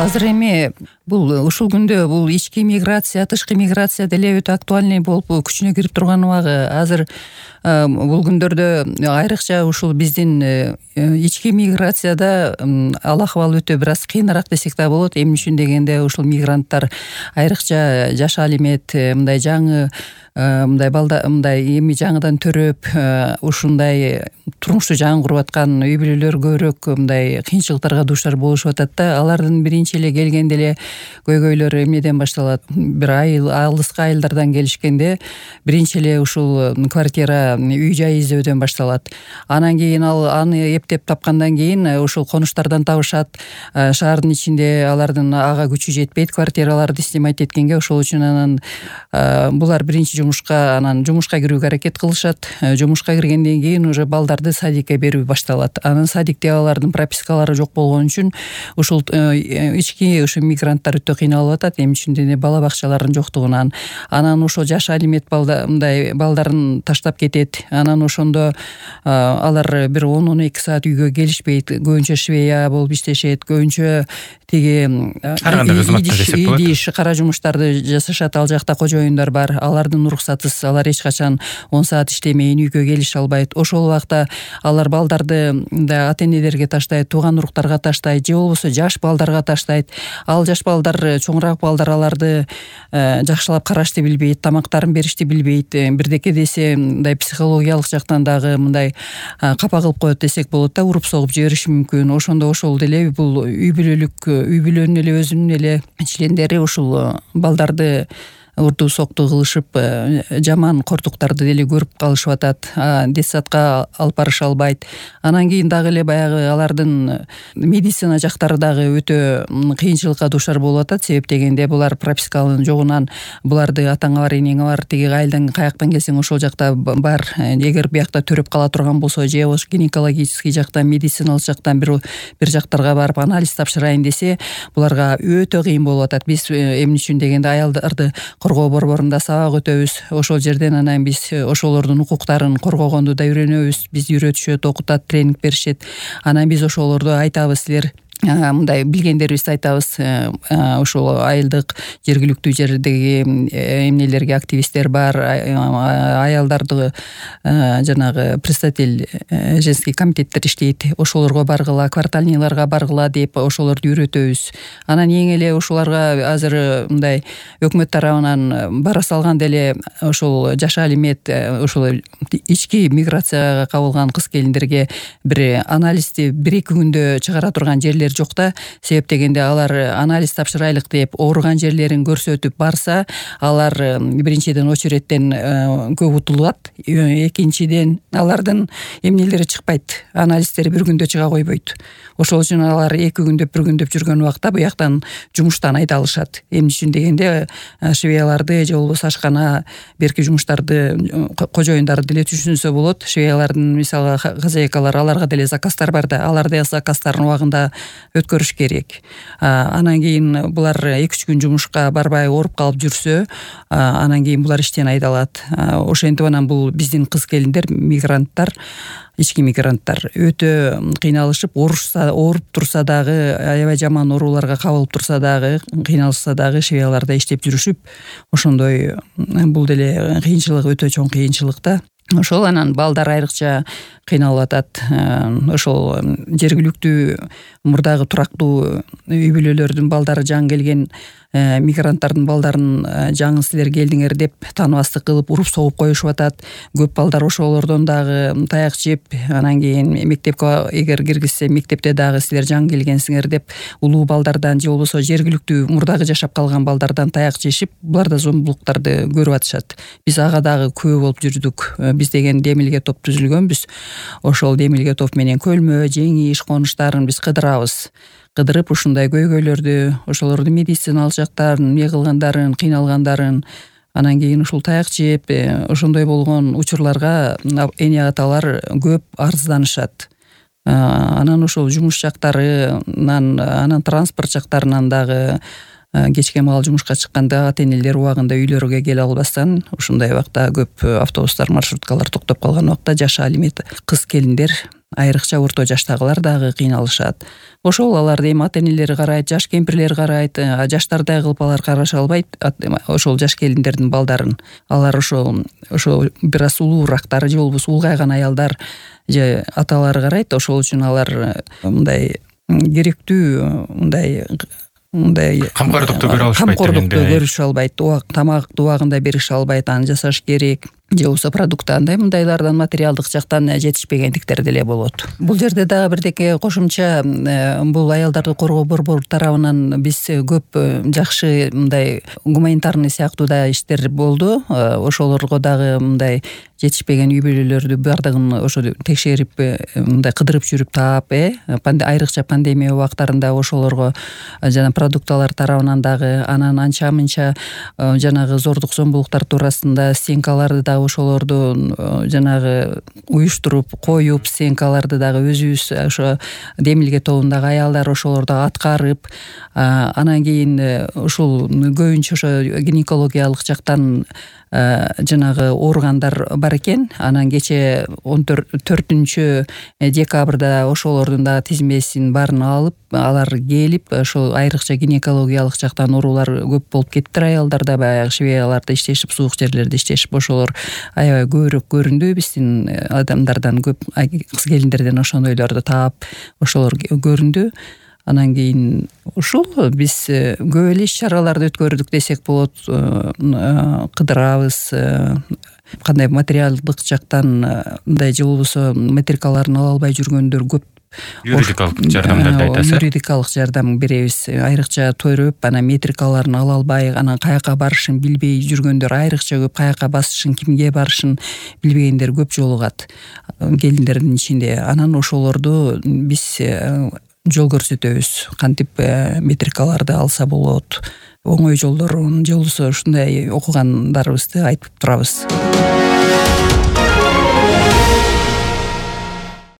Азыр эми бул ушул күндө бул ички миграция, тышкы миграция деле өтө актуальный болуп күчүнө кирип турган убагы. Азыр бул күндөрдө айрыкча ушул биздин ички миграцияда ал акыбал өтө бир аз кыйыныраак десек да болот. Эмне үчүн дегенде ушул мигранттар айрыкча жаша алимент мындай жаңы мындай эми жаңыдан төрөп ушундай турмушту жаңы куруп аткан үй бүлөлөр көбүрөөк мындай кыйынчылыктарга дуушар болушуп атат да. Алардын биринчи эле келгенде эле көйгөйлөр эмнеден башталат? Бир алыскы айылдардан келишкенде биринчи эле ушул квартира, үй жай издөөдөн башталат. Анан кийин аны эптеп тапкандан кийин ушул конуштардан табышат. Шаардын ичинде алардын ага күчү жетпейт квартираларды снимать эткенге, ошол үчүн анан булар биринчи жумушка кирүүгө аракет кылышат. Жумушка киргенден кийин уже балдарды садикке берүү башталат. Анан садикте алардын пропискалары жок болгон үчүн ушул ички мигранттар өтө кыйналып атат. Эмне үчүн дегенде бала бакчалардын жоктугунан. Анан ошол жаш алимент мындай балдарын таштап кетет. Анан ошондо алар бир 10-12 саат үйгө келишпейт. Көбүнчө швея болуп иштешет. Көбүнчө тиги идиш кара жумуштарды жасашат. Ал жакта кожоюндар бар. Алардын уруксатысыз алар эч качан 10 саат иштемейин үйгө келише албайт. Ошол убакта алар балдарды ата-энелерге таштайт, тууган уруктарга таштайт, же болбосо жаш балдарга таштайт. Ал жаш балдар, чоңураак балдар аларды жакшылап карашты билбейт, тамактарын беришти билбейт. Бирдеке десе мындай психологиялык жактан дагы мындай капа кылып коет десек болот да, уруп согуп жибериши мүмкүн. Ошондо ошол деле бул үй бүлөнүн эле өзүнүн эле чилендери ушул балдарды урду сокту кылышып жаман кордуктарды деле көрүп калышып атат. Детсадка алып барыша албайт. Анан кийин дагы эле баягы алардын медицина жактары дагы өтө кыйынчылыкка дуушар болуп атат. Себеп дегенде булар прописканын жогунан буларды атаңа бар, энеңе бар, тиги айылдан каяктан келсең ошол жакта бар. Эгер биякта төрөп кала турган болсо, же гинекологический жактан, медициналык жактан бир жактарга барып анализ тапшырайын десе, буларга өтө кыйын болуп атат. Биз эмне үчүн дегенде аялдарды коргоо борборунда сабак өтөбүз. Ошол жерден анан биз ошолордун укуктарын коргогонду да үйрөнөбүз. Бизди үйрөтүшөт, окутат, тренинг беришет. Анан биз ошолорду айтабыз, силер мындай билгендерибизди айтабыз. Ошол айылдык жергиликтүү жердеги эмнелерге активисттер бар, аялдарды жанагы представитель женский комитеттер иштейт. Ошолорго баргыла, квартальныйларга баргыла деп ошолорду үйрөтөбүз. Анан эң эле ошоларга азыр мындай өкмөт тарабынан бара салган деле ошол жаша алимент, ошол ички миграцияга кабылган кыз-келиндерге бир анализди 1-2 күндө чыгара турган жерлер жок да. Себеп дегенде алар анализ тапшырайлык деп ооруган жерлерин көрсөтүп барса, алар биринчиден очереттен көп утулат. Экинчиден алардын эмнелери чыкпайт. Анализдери 1 күндө чыга койбойт. Ошол үчүн алар 2 күндөп, 1 күндөп жүргөн убакта буяктан жумуштан айдалышат. Эмне үчүн дегенде швеяларды же болбосо ашкана берки жумуштарды, кожоюндарды деле түшүнсө болот. Швеялардын мисалы хозяйкалар, аларга деле заказдар бар да, аларды заказдарын убагында өткөрүш керек. Анан кийин булар 2-3 күн жумушка барбай ооруп калып жүрсө, анан кийин булар иштен айдалат. Ошентип анан бул биздин кыз-келиндер, мигранттар, ички мигранттар өтө кыйналышып, ооруп турса дагы, аябай жаман ооруларга кабылып турса дагы, кыйналышса дагы швеяларда иштеп жүрүшүп, ошондой бул деле кыйынчылык, өтө чоң кыйынчылык да. Ошол анан балдар айрыкча кыйналып атат. Ошол жергиликтүү мурдагы турактуу үй бүлөлөрдүн балдары жаңы келген мигранттардын балдарын жаңы силер келдиңер деп тааныбастык кылып уруп согуп коюшуп атат. Көп балдар ошолордон дагы таяк жеп, анан кийин мектепке эгер киргизсе, мектепте дагы силер жаңы келгенсиңер деп улуу балдардан же болбосо жергиликтүү мурдагы жашап калган балдардан таяк жешип, булар да зомбулуктарды көрүп атышат. Биз ага дагы күбө болуп жүрдүк. Биз деген демилге топ түзүлгөнбүз. Ошол демилге топ менен көлмө, жеңиш, конуштарын биз кыдырып ушундай көйгөйлөрдү, ошолорду медициналык жактарын, эмне кылгандарын, кыйналгандарын, анан кийин ушул таяк жеп, ошондой болгон учурларга эне аталар көп арызданышат. Анан ошол жумуш жактарынан, анан транспорт жактарынан дагы кечке маал жумушка чыкканда ата-энелер убагында үйлөрүгө келе албастан, ушундай убакта көп автобустар, маршруткалар токтоп калган убакта жаша алимент кыз-келиндер айрыкча орто жаштагылар дагы кыйналышат. Ошол аларды эми ата энелери карайт, жаш кемпирлер карайт, жаштардай кылып алар караша албайт ошол жаш келиндердин балдарын. Алар ошо бир аз улуурактары же болбосо улгайган аялдар же аталары карайт. Ошол үчүн алар мындай керектүү мындай камкордукту көрө алышпайт, камкордукту көрүшө албайт, тамакты убагында берише албайт, аны жасаш керек. Же болбосо продукты андай мындайлардан материалдык жактан жетишпегендиктер деле болот. Бул жерде дагы бирдеке кошумча, бул аялдарды коргоо борбору тарабынан биз көп жакшы мындай гуманитарный сыяктуу да иштер болду. Ошолорго дагы мындай жетишпеген үй бүлөлөрдү бардыгын ошо текшерип, мындай кыдырып жүрүп таап, айрыкча пандемия убактарында ошолорго жана продукталар тарабынан дагы, анан анча мынча жанагы зордук зомбулуктар туурасында стенкаларды дагы ошолорду жанагы уюштуруп коюп, стенкаларды дагы өзүбүз ошо Демилге тобундагы аялдар ошолорду аткарып, анан кийин ушул көбүнчө ошо гинекологиялык жактан жанагы ооругандар бар экен. Анан кече 14 декабрда ошолордун дагы тизмесин баарын алып, алар келип, ошол айрыкча гинекологиялык жактан оорулар көп болуп кеттир аялдарда, баягы швеяларда иштешип, суук жерлерде иштешип, ошолор аябай көбүрөөк көрүндү биздин адамдардан, көп кыз келиндерден ошондойлорду таап, ошолор көрүндү. Анан кийин ушул биз көп эле иш-чараларды өткөрдүк десек болот. Кыдырабыз, кандай материалдык жактан мындай же болбосо метрикаларын ала албай жүргөндөр көп. Юридикалык жардамдарды айтасыз. Юридикалык жардам беребиз. Айрыкча төрөп, анан метрикаларын ала албай, анан каяка барышын билбей жүргөндөр айрыкча көп, каяка басышын, кимге барышын билбегендер көп жолугат келиндердин ичинде. Анан ошолорду биз жол көрсөтөбүз, кантип метрикаларды алса болот, оңой жолдорун же болбосо ушундай окугандарыбызды айтып турабыз.